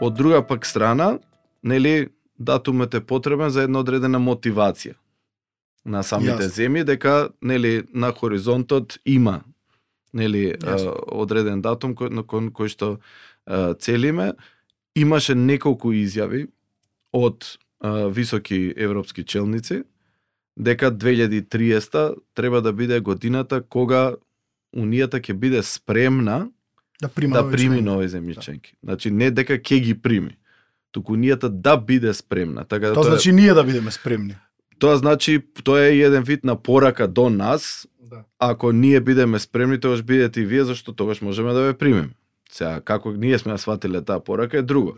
Од друга пак страна, нели, датумот е потребен за една одредена мотивација на самите земји, дека, нели, на хоризонтот има, нели, одреден датум кој што целиме. Имаше неколку изјави од високи европски челници дека 2030 треба да биде годината кога Унијата ќе биде спремна да прими нови земји членки. Значи не дека ќе ги прими, туку Унијата да биде спремна. Така тоа значи ние да бидеме спремни. Тоа значи, тоа е еден вид на порака до нас. Да. Ако ние бидеме спремни, тогаш бидете и вие, зашто тогаш можеме да ве примеме. Сега, како ние сме сватиле таа порака е друго.